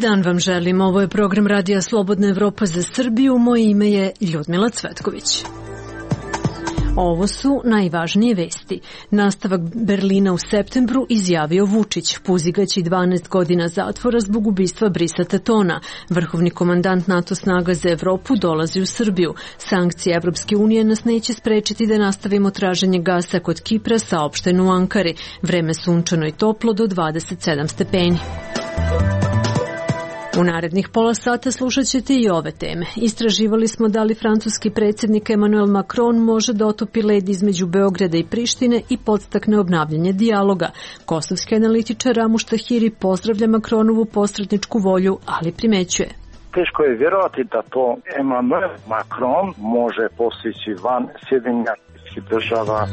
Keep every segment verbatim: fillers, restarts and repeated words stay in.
dan vam želim. Ovo je program Radija Slobodna Evropa za Srbiju. Moje ime je Ljudmila Cvetković. Ovo su najvažnije vesti. Nastavak Berlina u septembru izjavio Vučić. Puzigaći dvanaest godina zatvora zbog ubistva Brisa Tatona. Vrhovni komandant NATO snaga za Evropu dolazi u Srbiju. Sankcije Evropske unije nas neće sprečiti da nastavimo traženje gasa kod Kipra, saopšteno u Ankari. Vreme sunčano i toplo do dvadeset sedam stepeni. U narednih pola sata slušat ćete i ove teme. Istraživali smo da li francuski predsjednik Emmanuel Macron može da otopi led između Beograda i Prištine i podstakne obnavljanje dijaloga. Kosovski analitičar Ramuš Tahiri pozdravlja Macronovu posredničku volju, ali primećuje. Teško je vjerovati da to Emmanuel Macron može postići van Sjedinjenih Američkih Država.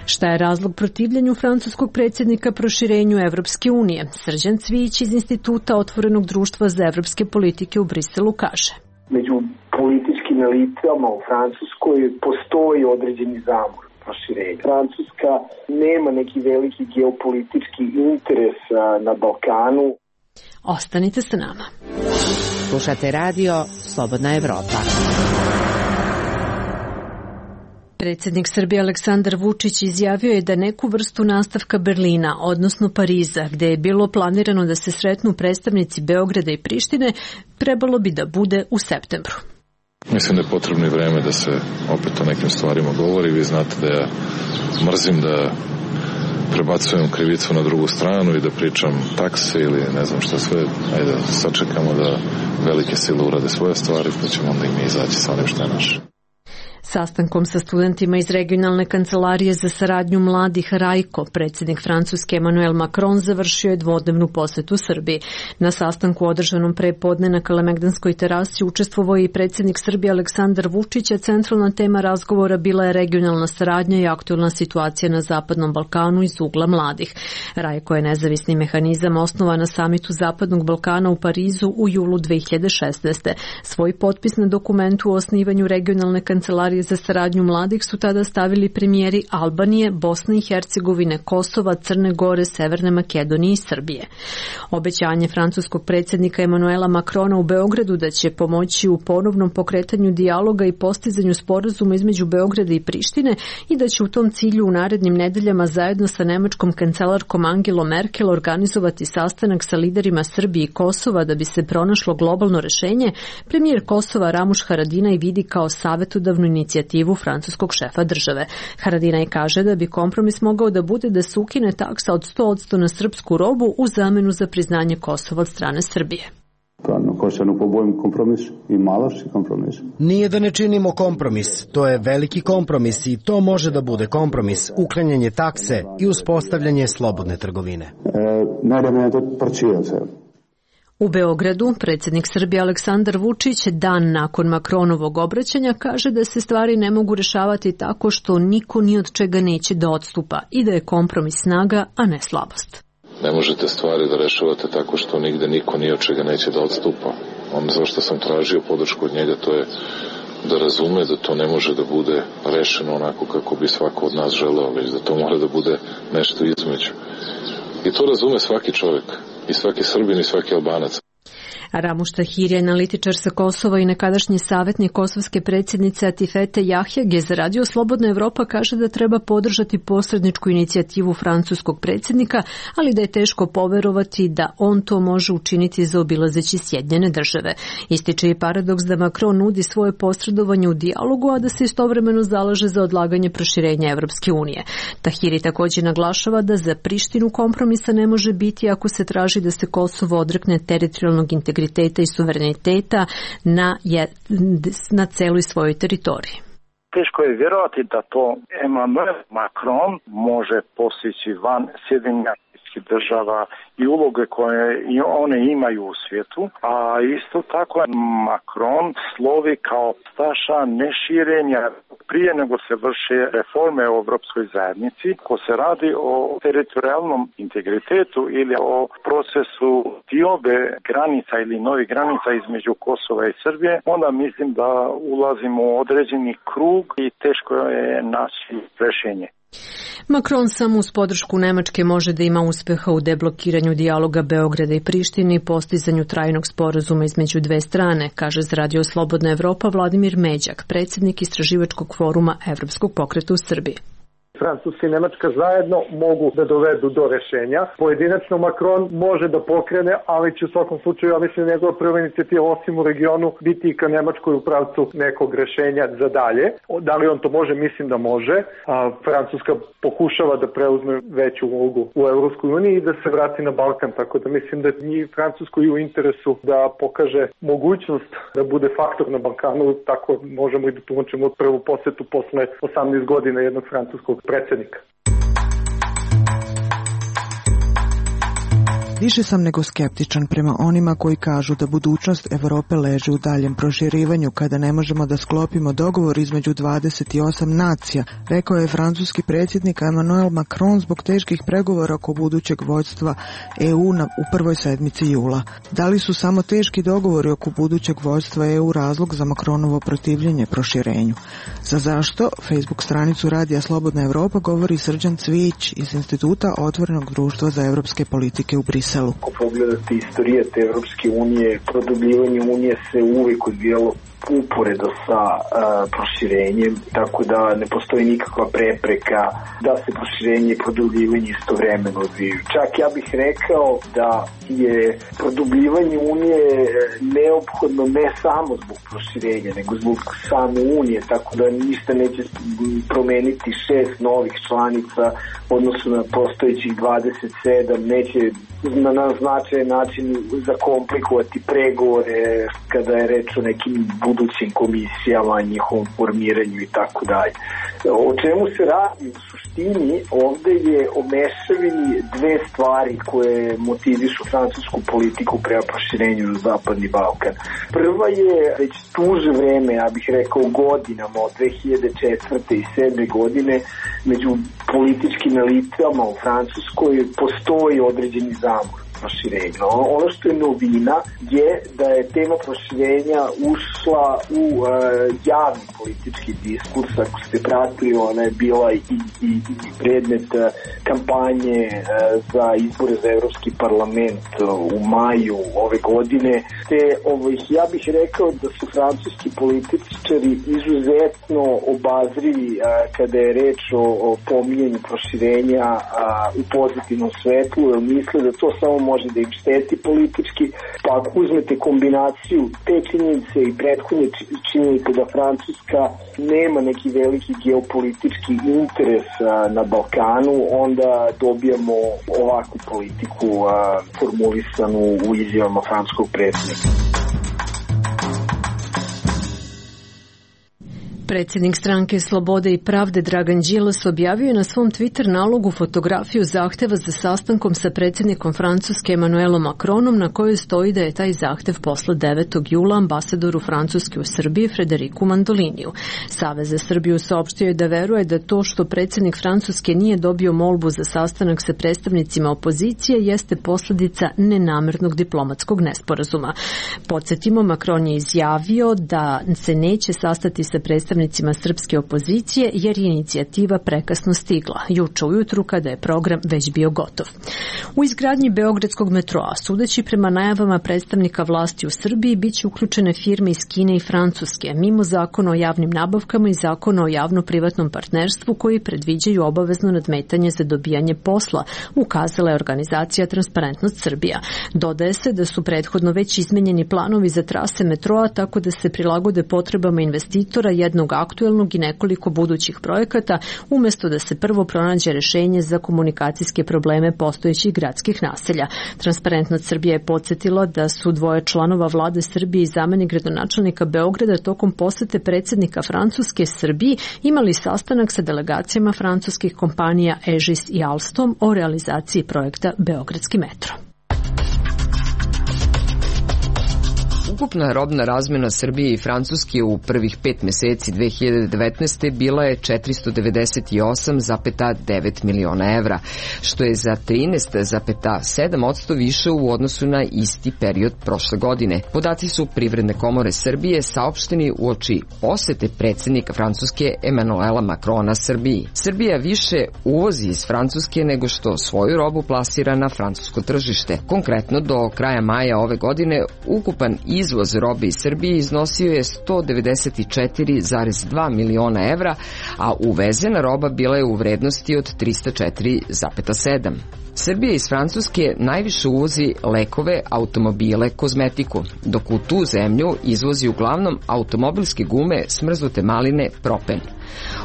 Šta je razlog protivljenju francuskog predsjednika proširenju Evropske unije? Srđan Cvijić iz Instituta Otvorenog društva za evropske politike u Briselu kaže. Među političkim elitama u Francuskoj postoji određeni zamor proširenja. Francuska nema neki veliki geopolitički interes na Balkanu. Ostanite sa nama. Slušate radio Slobodna Evropa. Predsjednik Srbije Aleksandar Vučić izjavio je da neku vrstu nastavka Berlina, odnosno Pariza, gde je bilo planirano da se sretnu predstavnici Beograda i Prištine, trebalo bi da bude u septembru. Mislim da je potrebno i vreme da se opet o nekim stvarima govori. Vi znate da ja mrzim da prebacujem krivicu na drugu stranu i da pričam takse ili ne znam šta sve. Ajde da sačekamo da velike sile urade svoje stvari, pa ćemo onda i mi izaći sa onim što je naše. Sastankom sa studentima iz regionalne kancelarije za saradnju mladih Rajko, predsjednik Francuske Emmanuel Macron završio je dvodnevnu posetu Srbiji. Na sastanku održanom pre podne na Kalemegdanskoj terasi učestvovao je i predsjednik Srbije Aleksandar Vučić, a centralna tema razgovora bila je regionalna saradnja i aktuelna situacija na Zapadnom Balkanu iz ugla mladih. Rajko je nezavisni mehanizam osnovan na samitu Zapadnog Balkana u Parizu u julu dve hiljade šesnaeste. Svoj potpis na dokumentu o osnivanju regionalne kancelarije za saradnju mladih su tada stavili premijeri Albanije, Bosne i Hercegovine, Kosova, Crne Gore, Severne Makedonije i Srbije. Obećanje francuskog predsjednika Emmanuela Macrona u Beogradu da će pomoći u ponovnom pokretanju dijaloga i postizanju sporazuma između Beograda i Prištine i da će u tom cilju u narednim nedeljama zajedno sa nemačkom kancelarkom Angelom Merkel organizovati sastanak sa liderima Srbije i Kosova da bi se pronašlo globalno rešenje, premijer Kosova Ramuš Haradinaj vidi kao savjetodavnu inicijativu francuskog šefa države. Haradinaj kaže da bi kompromis mogao da bude da se ukine taksa od sto posto na srpsku robu u zamenu za priznanje Kosova od strane Srbije. Nije da ne činimo kompromis, to je veliki kompromis i to može da bude kompromis, uklanjanje takse i uspostavljanje slobodne trgovine. U Beogradu predsjednik Srbije Aleksandar Vučić dan nakon Macronovog obraćanja kaže da se stvari ne mogu rešavati tako što niko ni od čega neće da odstupa i da je kompromis snaga, a ne slabost. Ne možete stvari da rešavate tako što nigde niko ni od čega neće da odstupa. Ono zašto sam tražio podršku od njega, to je da razume da to ne može da bude rešeno onako kako bi svako od nas želeo, već da to mora da bude nešto između. I to razume svaki čovjek, i svaki Srbin i svaki Albanac. Ramuš Tahiri, analitičar sa Kosova i nekadašnji savjetnik kosovske predsjednice Atifete Jahjage za Radio Slobodna Evropa kaže da treba podržati posredničku inicijativu francuskog predsjednika, ali da je teško poverovati da on to može učiniti zaobilazeći Sjedinjene države. Ističe i paradoks da Macron nudi svoje posredovanje u dijalogu, a da se istovremeno zalaže za odlaganje proširenja Evropske unije. Tahiri također naglašava da za Prištinu kompromisa ne može biti ako se traži da se Kosovo odrekne teritorijalnog integriteta i suvereniteta na, je, na celoj svojoj teritoriji. Teško je vjerovati da to Emmanuel Macron može postići van Sjedinjenih Američkih Država i uloge koje i one imaju u svijetu, a isto tako Macron slovi kao staša neširenja prije nego se vrše reforme u Evropskoj zajednici. Ko se radi o teritorijalnom integritetu ili o procesu diobe granica ili novih granica između Kosova i Srbije, onda mislim da ulazimo u određeni krug i teško je naći rešenje. Macron samo uz podršku Nemačke može da ima uspeha u deblokiranju dijaloga Beograda i Prištine i postizanju trajnog sporazuma između dve strane, kaže za Radio Slobodna Evropa Vladimir Međak, predsjednik istraživačkog foruma Evropskog pokreta u Srbiji. Francuska i Nemačka zajedno mogu da dovedu do rešenja. Pojedinačno Macron može da pokrene, ali će u svakom slučaju, ja mislim, njegova prva inicijativa osim u regionu biti i ka Nemačkoj u pravcu nekog rešenja za dalje. Da li on to može? Mislim da može. A Francuska pokušava da preuzme veću ulogu u Evropskoj uniji i da se vrati na Balkan, tako da mislim da je Francuskoj u interesu da pokaže mogućnost da bude faktor na Balkanu, tako možemo i da tumačimo prvu posetu posle osamnaest godina jednog francuskog predsjednika. Više sam nego skeptičan prema onima koji kažu da budućnost Evrope leži u daljem proširivanju kada ne možemo da sklopimo dogovor između dvadeset osam nacija, rekao je francuski predsjednik Emmanuel Macron zbog teških pregovora oko budućeg vođstva E U na, u prvoj sedmici jula. Da li su samo teški dogovori oko budućeg vođstva E U razlog za Macronovo protivljenje proširenju? Za zašto? Facebook stranicu Radija Slobodna Evropa govori Srđan Cvijić iz Instituta Otvorenog društva za evropske politike u Briselu. Ako pogledate istorije te Evropske unije, produbljivanje unije se uvijek odvijalo uporedo sa uh, proširenjem, tako da ne postoji nikakva prepreka da se proširenje i produbljivanje istovremeno odvijaju. Čak ja bih rekao da je produbljivanje unije neophodno ne samo zbog proširenja, nego zbog same unije, tako da ništa neće promeniti šest novih članica odnosno na postojećih dvadeset sedam, neće na, na značajan način zakomplikovati pregovore kada je reč o nekim budućim komisijama, njihovom formiranju i tako dalje. O čemu se radi u suštini? Ovde je o mešavini dve stvari koje motivišu francusku politiku prema proširenju na Zapadni Balkan. Prva je već duže vreme, ja bih rekao godinama, od dve hiljade četvrte i sedme godine, među političkim elitama u Francuskoj postoji određeni zamor proširenja. Ono što je novina je da je tema proširenja ušla u uh, javni politički diskurs. Ako ste pratili, ona je bila i, i, i predmet uh, kampanje uh, za izbore za Evropski parlament uh, u maju ove godine. Te, ovaj, ja bih rekao da su francuski političari izuzetno obazrivi uh, kada je reč o, o pominjanju proširenja uh, u pozitivnom svetlu, jer misle da to samo može da im šteti politički, pa ako uzmete kombinaciju te činjenice i prethodne činjenice da Francuska nema neki veliki geopolitički interes a, na Balkanu, onda dobijamo ovakvu politiku a, formulisanu u izjavama francuskog predsjednika. Predsjednik stranke Slobode i pravde Dragan Đilas objavio je na svom Twitter nalogu fotografiju zahteva za sastankom sa predsjednikom Francuske Emmanuelom Macronom, na kojoj stoji da je taj zahtev posle devetog jula ambasadoru Francuske u Srbiji Frederiku Mandoliniju. Savez za Srbiju saopštio je da veruje da to što predsjednik Francuske nije dobio molbu za sastanak sa predstavnicima opozicije jeste posljedica nenamernog diplomatskog nesporazuma. Podsjetimo, Macron je izjavio da se neće sastati sa predstavnicima srpske opozicije jer je inicijativa prekasno stigla, juče ujutru kada je program već bio gotov. U izgradnji Beogradskog metroa, sudeći prema najavama predstavnika vlasti u Srbiji, bit će uključene firme iz Kine i Francuske, mimo zakona o javnim nabavkama i zakona o javno-privatnom partnerstvu koji predviđaju obavezno nadmetanje za dobijanje posla, ukazala je organizacija Transparentnost Srbija. Dodaje se da su prethodno već izmenjeni planovi za trase metroa tako da se prilagode potrebama investitora, jednog aktuelnog i nekoliko budućih projekata, umjesto da se prvo pronađe rešenje za komunikacijske probleme postojećih gradskih naselja. Transparentnost Srbija je podsjetila da su dvoje članova vlade Srbije i zamenik gradonačelnika Beograda tokom posete predsjednika Francuske Srbiji imali sastanak sa delegacijama francuskih kompanija Egis i Alstom o realizaciji projekta Beogradski metro. Ukupna robna razmena Srbije i Francuske u prvih pet meseci dve hiljade devetnaeste. bila je četiristo devedeset osam zarez devet miliona evra, što je za trinaest zarez sedam posto više u odnosu na isti period prošle godine. Podaci su Privredne komore Srbije saopšteni uoči posete predsednika Francuske Emanuela Macrona Srbiji. Srbija više uvozi iz Francuske nego što svoju robu plasira na francusko tržište. Konkretno, do kraja maja ove godine ukupan izvoz robe iz Srbije iznosio je sto devedeset četiri zarez dva miliona evra, a uvezena roba bila je u vrednosti od trista četiri zarez sedam. Srbija iz Francuske najviše uvozi lekove, automobile, kozmetiku, dok u tu zemlju izvozi uglavnom automobilske gume, smrznute maline, propen.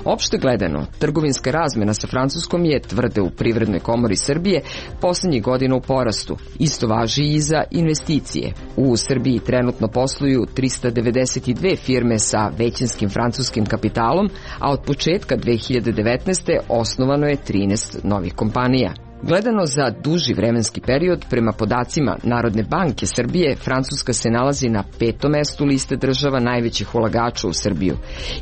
Opšte gledano, trgovinska razmena sa Francuskom je, tvrde u Privrednoj komori Srbije, poslednjih godina u porastu. Isto važi i za investicije. U Srbiji trenutno posluju trista devedeset dve firme sa većinskim francuskim kapitalom, a od početka dve hiljade devetnaeste. osnovano je trinaest novih kompanija. Gledano za duži vremenski period, prema podacima Narodne banke Srbije, Francuska se nalazi na petom mestu liste država najvećih ulagača u Srbiju.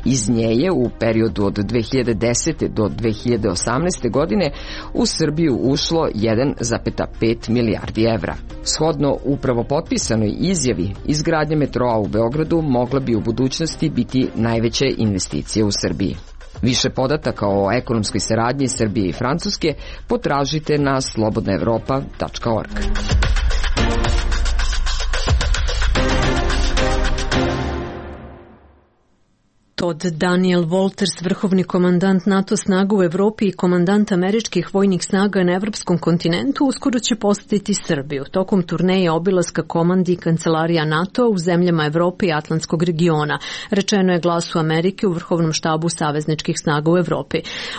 Iz nje je u periodu od dve hiljade desete. do dve hiljade osamnaeste. godine u Srbiju ušlo jedan zarez pet milijardi evra. Shodno upravo potpisanoj izjavi, izgradnja metroa u Beogradu mogla bi u budućnosti biti najveća investicija u Srbiji. Više podataka o ekonomskoj saradnji Srbije i Francuske potražite na slobodna evropa tačka org. Todd Daniel Walters, vrhovni komandant NATO snaga u Evropi i komandant američkih vojnih snaga na evropskom kontinentu, uskoro će posetiti Srbiju tokom turneje obilaska komandi i kancelarija NATO u zemljama Evrope i Atlantskog regiona, rečeno je Glasu Amerike u vrhovnom štabu savezničkih snaga u Evropi.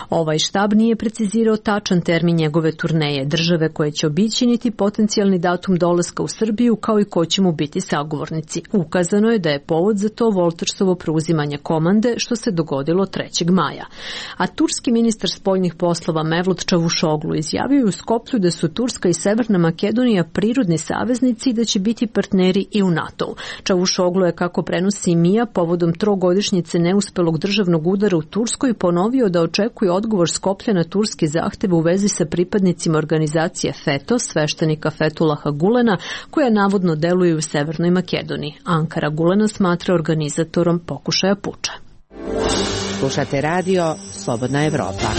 Ovaj štab nije precizirao tačan termin njegove turneje, države koje će obići niti potencijalni datum dolaska u Srbiju, kao i ko će mu biti sagovornici. Ukazano je da je povod za to Waltersovo preuzimanje komande, što se dogodilo trećeg maja. A turski ministar spoljnih poslova Mevlut Čavušoglu izjavio u Skoplju da su Turska i Severna Makedonija prirodni saveznici i da će biti partneri i u NATO-u. Čavušoglu je, kako prenosi Mija, povodom trogodišnjice neuspelog državnog udara u Turskoj ponovio da očekuje odgovor Skoplja na turski zahtev u vezi sa pripadnicima organizacije FETO, sveštenika Fetulaha Gulena, koja navodno deluje u Severnoj Makedoniji. Ankara Gulena smatra organizatorom pokušaja puča. Slušate radio Slobodna Evropa.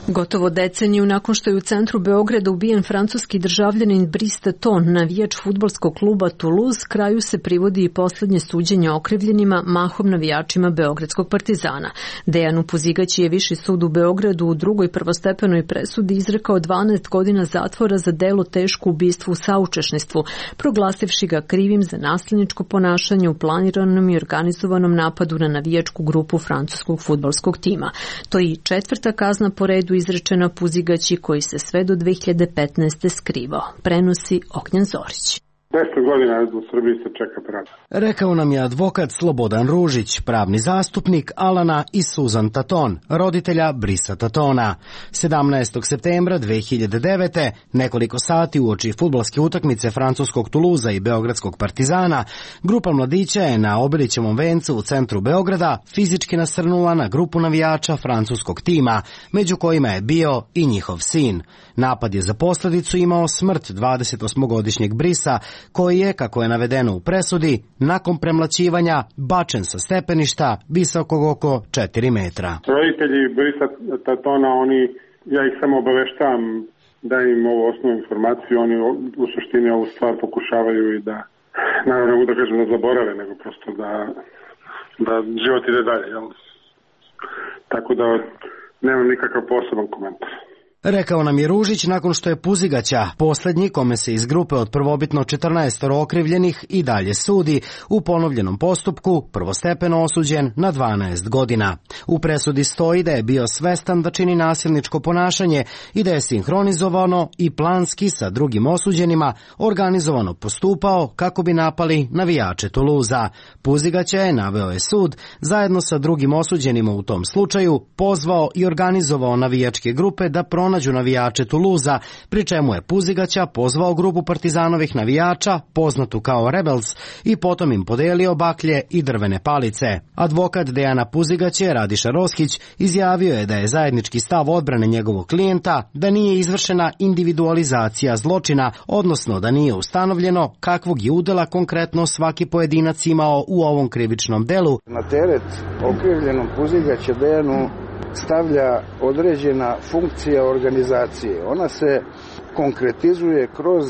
Gotovo deceniju nakon što je u centru Beograda ubijen francuski državljanin Brice Taton, navijač fudbalskog kluba Toulouse, kraju se privodi i poslednje suđenje okrivljenima, mahom navijačima Beogradskog Partizana. Dejanu Pozigaći je Viši sud u Beogradu u drugoj prvostepenoj presudi izrekao dvanaest godina zatvora za delo teško ubistvo u saučešništvu, proglasivši ga krivim za nasilničko ponašanje u planiranom i organizovanom napadu na navijačku grupu francuskog fudbalskog tima. To je i četvrta kazna po redu izrečena Puzigaći, koji se sve do dve hiljade petnaeste. skrivao. Prenosi Ognjen Zorić. deset godina u Srbiji se čeka pravda. Rekao nam je advokat Slobodan Ružić, pravni zastupnik Alana i Suzan Taton, roditelja Brisa Tatona. sedamnaestog septembra dve hiljade devete. nekoliko sati uoči fudbalske utakmice francuskog Tuluza i beogradskog Partizana, grupa mladića je na Obilićevom vencu u centru Beograda fizički nasrnula na grupu navijača francuskog tima, među kojima je bio i njihov sin. Napad je za posledicu imao smrt dvadesetosmogodišnjeg Brisa, koji je, kako je navedeno u presudi, nakon premlaćivanja bačen sa stepeništa visokog oko četiri metra. Roditelji Brisa Tatona, oni, ja ih samo obaveštavam da im ovu osnovnu informaciju, oni u suštini ovu stvar pokušavaju i da, naravno da kažem, da zaborave, nego prosto da, da život ide dalje. Jel? Tako da nemam nikakav poseban komentar. Rekao nam je Ružić nakon što je Puzigaća, poslednji kome se iz grupe od prvobitno četrnaest okrivljenih i dalje sudi, u ponovljenom postupku prvostepeno osuđen na dvanaest godina. U presudi stoji da je bio svestan da čini nasilničko ponašanje i da je sinhronizovano i planski sa drugim osuđenima organizovano postupao kako bi napali navijače Tuluza. Puzigaća je, naveo je sud, zajedno sa drugim osuđenima u tom slučaju pozvao i organizovao navijačke grupe da pronađu pronađu navijače Tuluza, pri čemu je Puzigaća pozvao grupu partizanovih navijača, poznatu kao Rebels, i potom im podelio baklje i drvene palice. Advokat Dejana Puzigaće, Radiša Roskić, izjavio je da je zajednički stav odbrane njegovog klijenta da nije izvršena individualizacija zločina, odnosno da nije ustanovljeno kakvog je udela konkretno svaki pojedinac imao u ovom krivičnom delu. Na teret okrivljenom Puzigaća Dejanu stavlja određena funkcija organizacije. Ona se konkretizuje kroz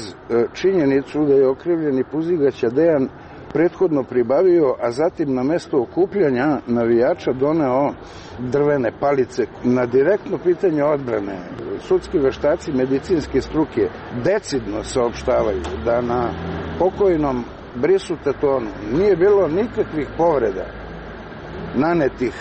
činjenicu da je okrivljeni Puzigaća Dejan prethodno pribavio, a zatim na mesto okupljanja navijača doneo drvene palice. Na direktno pitanje odbrane, sudski veštaci medicinske struke decidno saopštavaju da na pokojnom Brisu Tatonu nije bilo nikakvih povreda nanetih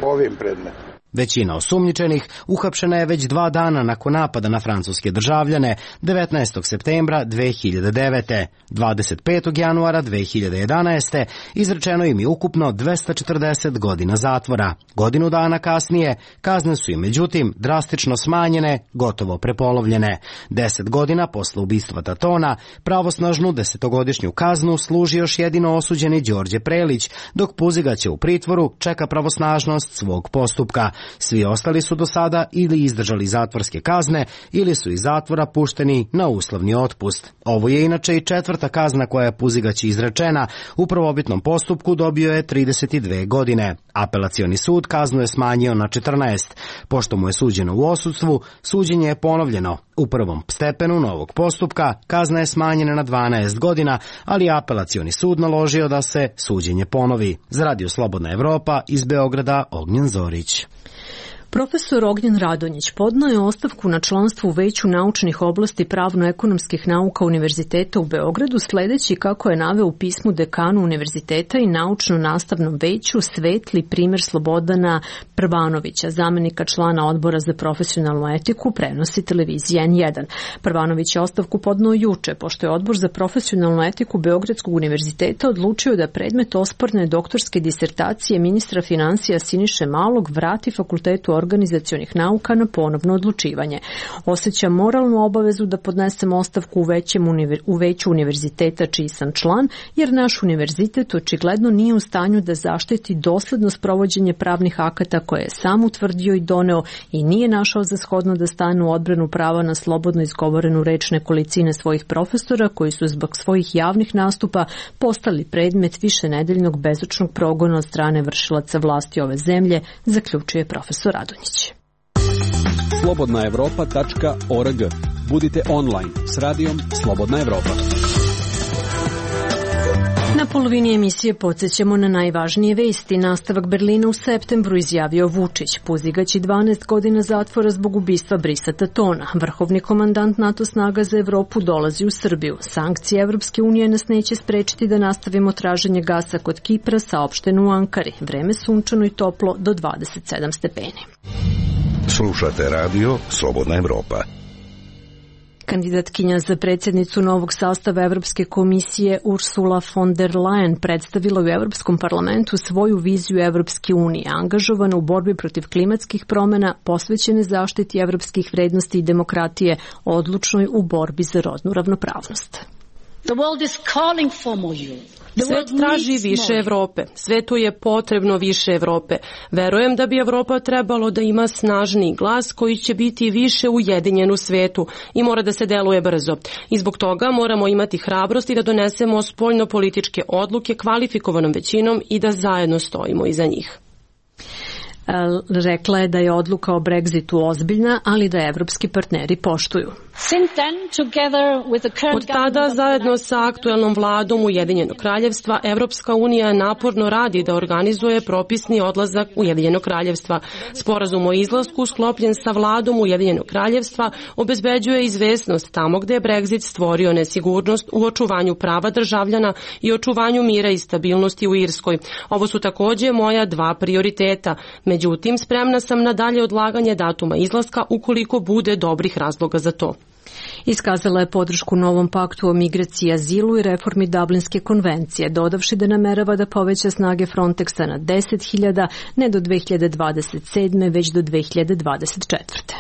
ovim predmetom. Većina osumnjičenih uhapšena je već dva dana nakon napada na francuske državljane devetnaestog septembra dve hiljade devete. dvadeset petog januara dve hiljade jedanaeste. izrečeno im je ukupno dvesta četrdeset godina zatvora. Godinu dana kasnije kazne su im međutim drastično smanjene, gotovo prepolovljene. Deset godina posle ubistva Tatona pravosnažnu desetogodišnju kaznu služi još jedino osuđeni Đorđe Prelić, dok Puzigaća u pritvoru čeka pravosnažnost svog postupka. Svi ostali su do sada ili izdržali zatvorske kazne ili su iz zatvora pušteni na uslovni otpust. Ovo je inače i četvrta kazna koja je Puzigaći izrečena. U prvobitnom postupku dobio je trideset dve godine. Apelacioni sud kaznu je smanjio na četrnaest. Pošto mu je suđeno u odsustvu, suđenje je ponovljeno. U prvom stepenu novog postupka kazna je smanjena na dvanaest godina, ali apelacioni sud naložio da se suđenje ponovi. Za Radio Slobodna Evropa iz Beograda, Ognjen Zorić. Profesor Ognjen Radonjić podneo je ostavku na članstvo u Veću naučnih oblasti pravno-ekonomskih nauka Univerziteta u Beogradu, sledeći, kako je naveo u pismu dekanu univerziteta i naučno-nastavnom veću, svetli primer Slobodana Prvanovića, zamenika člana odbora za profesionalnu etiku, prenosi televizija N jedan. Prvanović je ostavku podneo juče, pošto je odbor za profesionalnu etiku Beogradskog univerziteta odlučio da predmet osporne doktorske disertacije ministra finansija Siniše Malog vrati Fakultetu organizacionih nauka na ponovno odlučivanje. Osjeća moralnu obavezu da podnesem ostavku u, većem univer, u veću univerziteta čiji sam član, jer naš univerzitet očigledno nije u stanju da zaštiti dosledno sprovođenje pravnih akata koje je sam utvrdio i doneo i nije našao za shodno da stane u odbranu prava na slobodno izgovorenu reč nekolicine svojih profesora koji su zbog svojih javnih nastupa postali predmet višenedeljnog bezočnog progona od strane vršilaca vlasti ove zemlje, zaključuje profesor Radonjić. slobodna evropa tačka org. Budite online s radijom Slobodna Evropa. Na polovini emisije podsjećamo na najvažnije vesti. Nastavak Berlina u septembru, izjavio Vučić. Puzigać i dvanaest godina zatvora zbog ubistva Brisa Tatona. Vrhovni komandant NATO snaga za Evropu dolazi u Srbiju. Sankcije Evropske unije nas neće sprečiti da nastavimo traženje gasa kod Kipra, saopšteno u Ankari. Vreme sunčano i toplo do dvadeset sedam stepeni. Slušate radio Slobodna Evropa. Kandidatkinja za predsjednicu novog sastava Evropske komisije Ursula von der Leyen predstavila u Evropskom parlamentu svoju viziju Evropske unije, angažovana u borbi protiv klimatskih promjena, posvećene zaštiti evropskih vrednosti i demokratije, odlučnoj u borbi za rodnu ravnopravnost. The world is calling for more Europe. Svet traži više Evrope. Svetu je potrebno više Evrope. Verujem da bi Evropa trebalo da ima snažniji glas koji će biti više ujedinjen u svetu i mora da se deluje brzo. I zbog toga moramo imati hrabrosti da donesemo spoljnopolitičke odluke kvalifikovanom većinom i da zajedno stojimo iza njih. Rekla je da je odluka o Brexitu ozbiljna, ali da evropski partneri poštuju. Od tada, zajedno sa aktuelnom vladom Ujedinjenog kraljevstva, Evropska unija naporno radi da organizuje propisni odlazak Ujedinjenog kraljevstva. Sporazum o izlasku sklopljen sa vladom Ujedinjenog kraljevstva obezbeđuje izvesnost tamo gde je Brexit stvorio nesigurnost u očuvanju prava državljana i očuvanju mira i stabilnosti u Irskoj. Ovo su takođe moja dva prioriteta. Međutim, spremna sam na dalje odlaganje datuma izlaska ukoliko bude dobrih razloga za to. Iskazala je podršku novom paktu o migraciji, azilu i reformi Dublinske konvencije, dodavši da namerava da poveća snage Frontexa na deset hiljada, ne do dve hiljade dvadeset sedme, već do dve hiljade dvadeset četvrte.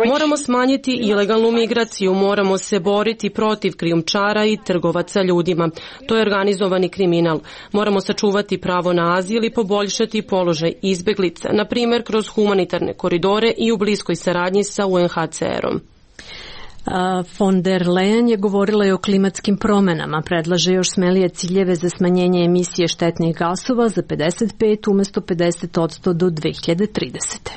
Moramo smanjiti ilegalnu migraciju, moramo se boriti protiv krijumčara i trgovaca ljudima. To je organizovani kriminal. Moramo sačuvati pravo na azil i poboljšati položaj izbeglica, na primjer kroz humanitarne koridore i u bliskoj saradnji sa U N H C R-om. Von der Leyen je govorila i o klimatskim promenama, predlaže još smelije ciljeve za smanjenje emisije štetnih gasova za pedeset pet umjesto pedeset posto do dve hiljade tridesete.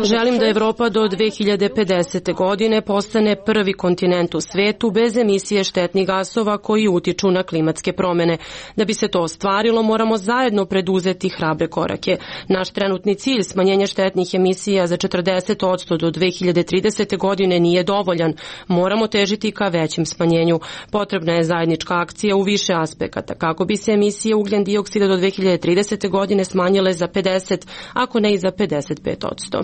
Želim da Evropa do dve hiljade pedesete. godine postane prvi kontinent u svetu bez emisije štetnih gasova koji utiču na klimatske promene. Da bi se to ostvarilo, moramo zajedno preduzeti hrabre korake. Naš trenutni cilj smanjenja štetnih emisija za četrdeset posto do dve hiljade tridesete. godine nije dovoljan. Moramo težiti ka većem smanjenju. Potrebna je zajednička akcija u više aspekata kako bi se emisije ugljen dioksida do dve hiljade tridesete. godine smanjile za pedeset, ako ne i za pedeset pet posto.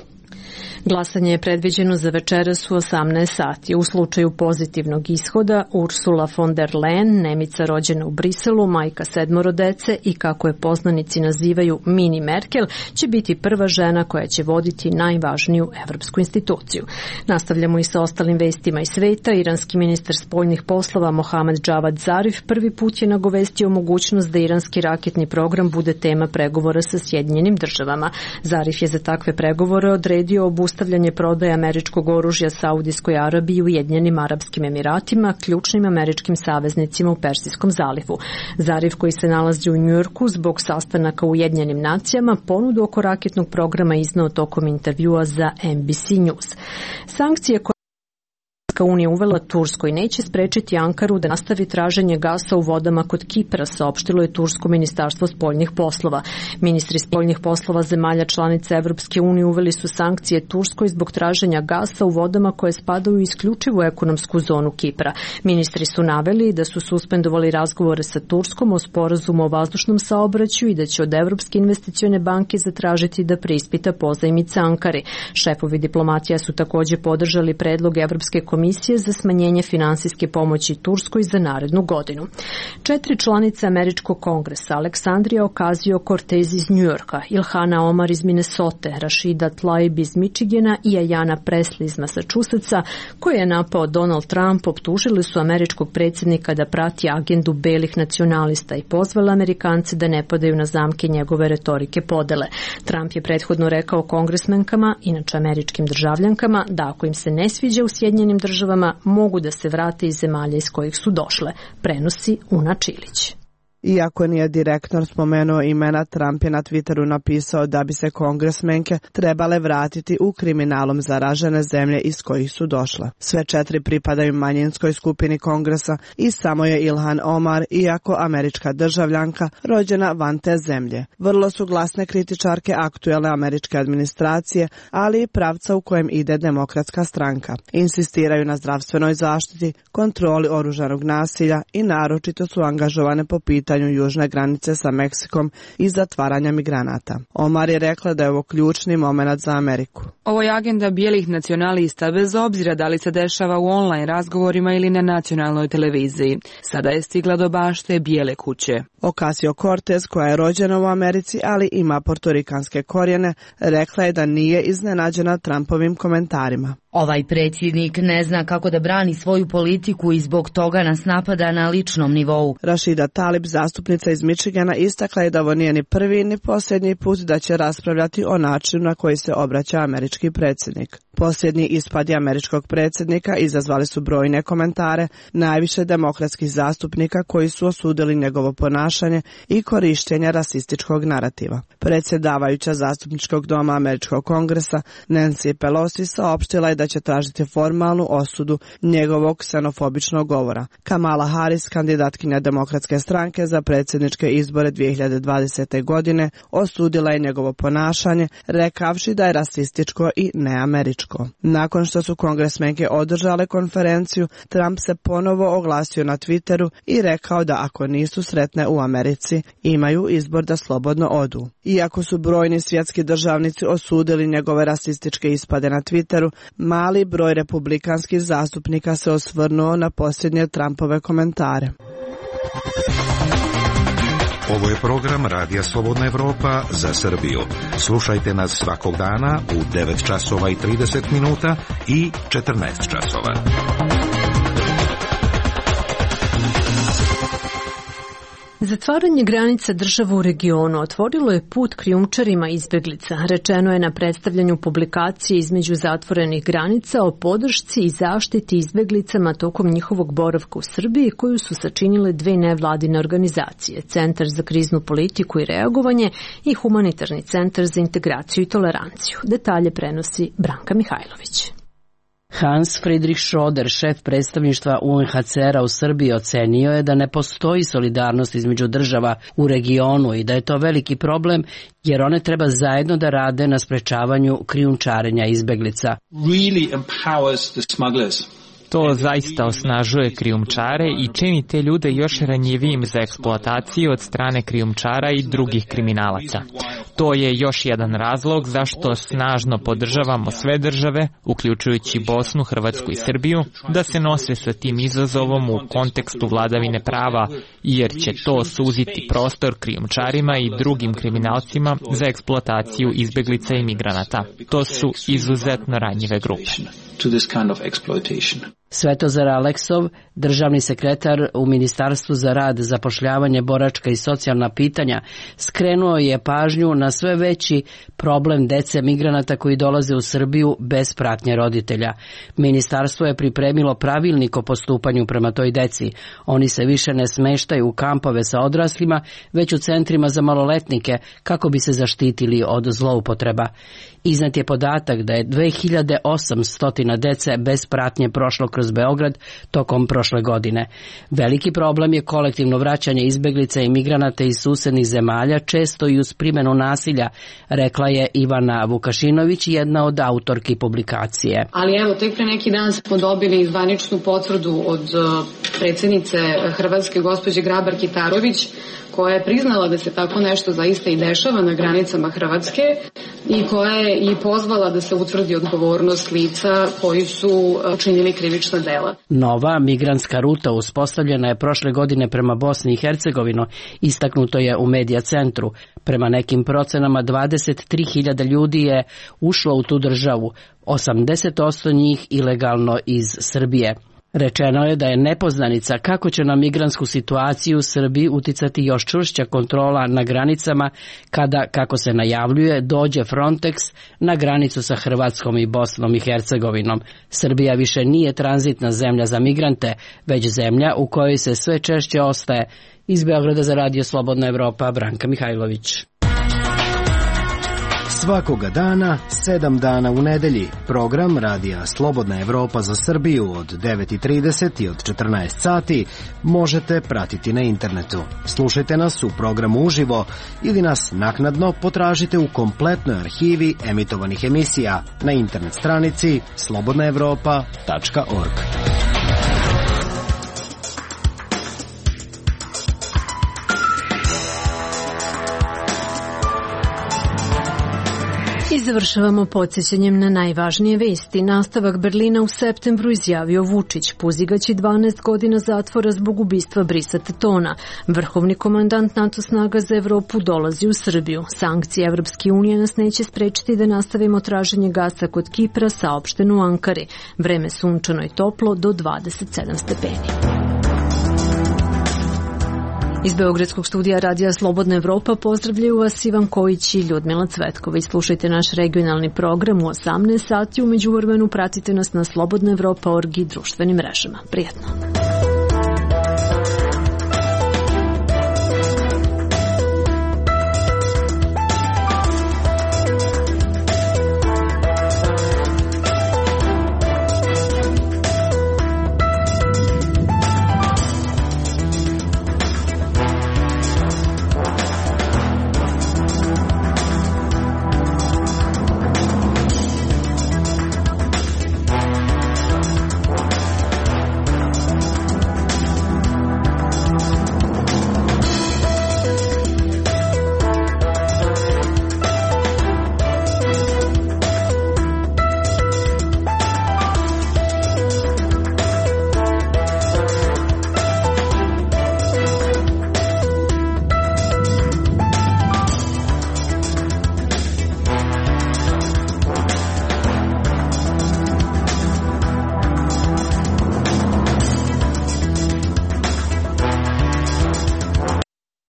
Glasanje je predviđeno za večeras u osamnaest sati. U slučaju pozitivnog ishoda, Ursula von der Leyen, Nemica rođena u Briselu, majka sedmoro dece i kako je poznanici nazivaju mini Merkel, će biti prva žena koja će voditi najvažniju evropsku instituciju. Nastavljamo i sa ostalim vestima iz sveta. Iranski ministar spoljnih poslova Mohamed Javad Zarif prvi put je nagovestio mogućnost da iranski raketni program bude tema pregovora sa Sjedinjenim državama. Zarif je za takve pregovore odredio obustavljanje prodaje američkog oružja Saudijskoj Arabiji i Ujedinjenim Arapskim Emiratima, ključnim američkim saveznicima u Persijskom zalivu. Zarif, koji se nalazi u Njujorku zbog sastanaka u Ujedinjenim nacijama, ponudu oko raketnog programa izneo tokom intervjua za N B C News. Sankcije koje Unija uvela Turskoj neće sprečiti Ankaru da nastavi traženje gasa u vodama kod Kipra, saopštilo je Tursko ministarstvo spoljnih poslova. Ministri spoljnih poslova zemalja članica Evropske unije uveli su sankcije Turskoj zbog traženja gasa u vodama koje spadaju u isključivu ekonomsku zonu Kipra. Ministri su naveli da su suspendovali razgovore sa Turskom o sporazumu o vazdušnom saobraćaju i da će od Evropske investicione banke zatražiti da preispita pozajmice Ankari. Šefovi diplomatija su također podržali predlog Evropske komisije Komisije za smanjenje finansijske pomoći Turskoj za narednu godinu. Četiri članice Američkog kongresa, Aleksandrija Ocasio-Cortez iz Njujorka, Ilhana Omar iz Minnesote, Rashida Tlaib iz Michigana i Ayanna Pressley iz Massachusettsa, koje je napao Donald Trump, optužili su američkog predsjednika da prati agendu belih nacionalista i pozvali Amerikance da ne padaju na zamke njegove retorike podele. Trump je prethodno rekao kongresmenkama, inače američkim državljankama, da ako im se ne sviđa u Sjedinjenim državama, mogu da se vrate iz zemalja iz kojih su došle, prenosi Una Čilić. Iako nije direktno spomenuo imena, Trump je na Twitteru napisao da bi se kongresmenke trebale vratiti u kriminalom zaražene zemlje iz kojih su došle. Sve četiri pripadaju manjinskoj skupini kongresa i samo je Ilhan Omar, iako američka državljanka, rođena van te zemlje. Vrlo su glasne kritičarke aktuelne američke administracije, ali i pravca u kojem ide demokratska stranka. Insistiraju na zdravstvenoj zaštiti, kontroli oružanog nasilja i naročito su angažovane po pitanju južne granice sa Meksikom i zatvaranja migranata. Omar je rekla da je ovo ključni moment za Ameriku. Ovo je agenda bijelih nacionalista bez obzira da li se dešava u online razgovorima ili na nacionalnoj televiziji. Sada je stigla do bašte Bijele kuće. Ocasio-Cortez, koja je rođena u Americi, ali ima portorikanske korijene, rekla je da nije iznenađena Trumpovim komentarima. Ovaj predsjednik ne zna kako da brani svoju politiku i zbog toga nas napada na ličnom nivou. Rashida Tlaib, zastupnica iz Michigana, istakla je da ovo nije ni prvi ni posljednji put da će raspravljati o načinu na koji se obraća američki predsjednik. Posljednji ispadi američkog predsjednika izazvali su brojne komentare, najviše demokratskih zastupnika koji su osudili njegovo ponašanje i korištenje rasističkog narativa. Predsjedavajuća zastupničkog doma američkog kongresa Nancy Pelosi saopštila je da će tražiti formalnu osudu njegovog ksenofobičnog govora. Kamala Harris, kandidatkinja demokratske stranke za predsjedničke izbore dvije hiljade dvadesete. godine, osudila je njegovo ponašanje, rekavši da je rasističko i neameričko. Nakon što su kongresmenke održale konferenciju, Trump se ponovo oglasio na Twitteru i rekao da ako nisu sretne u Americi, imaju izbor da slobodno odu. Iako su brojni svjetski državnici osudili njegove rasističke ispade na Twitteru, mali broj republikanskih zastupnika se osvrnuo na posljednje Trumpove komentare. Ovo je program Radija Slobodna Evropa za Srbiju. Slušajte nas svakog dana u devet časova i trideset minuta i četrnaest časova. Zatvaranje granica država u regionu otvorilo je put krijumčarima izbeglica. Rečeno je na predstavljanju publikacije između zatvorenih granica o podršci i zaštiti izbeglicama tokom njihovog boravka u Srbiji, koju su sačinile dve nevladine organizacije, Centar za kriznu politiku i reagovanje i Humanitarni centar za integraciju i toleranciju. Detalje prenosi Branka Mihajlović. Hans Friedrich Schroeder, šef predstavništva U N H C R-a u Srbiji, ocenio je da ne postoji solidarnost između država u regionu i da je to veliki problem jer one treba zajedno da rade na sprečavanju krijumčarenja izbeglica. Really empowers the smugglers. To zaista osnažuje krijumčare i čini te ljude još ranjivijim za eksploataciju od strane krijumčara i drugih kriminalaca. To je još jedan razlog zašto snažno podržavamo sve države, uključujući Bosnu, Hrvatsku i Srbiju, da se nose sa tim izazovom u kontekstu vladavine prava, jer će to suziti prostor krijumčarima i drugim kriminalcima za eksploataciju izbeglica i migranata. To su izuzetno ranjive grupe. Svetozar Aleksov, državni sekretar u Ministarstvu za rad, zapošljavanje, boračka i socijalna pitanja, skrenuo je pažnju na sve veći problem dece migranata koji dolaze u Srbiju bez pratnje roditelja. Ministarstvo je pripremilo pravilnik o postupanju prema toj deci. Oni se više ne smeštaju u kampove sa odraslima, već u centrima za maloletnike kako bi se zaštitili od zloupotreba. Iznad je podatak da je dve hiljade osamsto dece bez pratnje prošlo kroz Beograd tokom prošle godine. Veliki problem je kolektivno vraćanje izbeglica i migranata iz susednih zemalja, često i uz primjenu nasilja, rekla je Ivana Vukašinović, jedna od autorki publikacije. Ali evo, tek pre neki dan smo dobili zvaničnu potvrdu od predsjednice Hrvatske, gospođe Grabar Kitarović, koja je priznala da se tako nešto zaista i dešava na granicama Hrvatske i koja je i pozvala da se utvrdi odgovornost lica koji su učinili krivična dela. Nova migrantska ruta uspostavljena je prošle godine prema Bosni i Hercegovini, istaknuto je u Medija centru. Prema nekim procenama dvadeset tri hiljade ljudi je ušlo u tu državu, osamdeset posto njih ilegalno iz Srbije. Rečeno je da je nepoznanica kako će na migrantsku situaciju u Srbiji uticati još čvršća kontrola na granicama kada, kako se najavljuje, dođe Frontex na granicu sa Hrvatskom i Bosnom i Hercegovinom. Srbija više nije tranzitna zemlja za migrante, već zemlja u kojoj se sve češće ostaje. Iz Beograda za Radio Slobodna Evropa, Branka Mihajlović. Svakoga dana, sedam dana u nedelji, program Radija Slobodna Evropa za Srbiju od devet i trideset i od četrnaest sati možete pratiti na internetu. Slušajte nas u programu uživo ili nas naknadno potražite u kompletnoj arhivi emitovanih emisija na internet stranici slobodna evropa tačka org. I završavamo podsjećanjem na najvažnije vesti. Nastavak Berlina u septembru izjavio Vučić. Puzigaći dvanaest godina zatvora zbog ubistva Brisa Tatona. Vrhovni komandant NATO snaga za Evropu dolazi u Srbiju. Sankcije Evropske unije nas neće sprečiti da nastavimo traženje gasa kod Kipra, saopšteno u Ankari. Vreme sunčano i toplo do dvadeset sedam stepeni. Iz Beogradskog studija Radija Slobodna Evropa pozdravljaju vas Ivan Kojić i Ljudmila Cvetković. Slušajte naš regionalni program u osamnaest sati. U međuvremenu pratite nas na slobodna evropa tačka org i društvenim mrežama. Prijatno.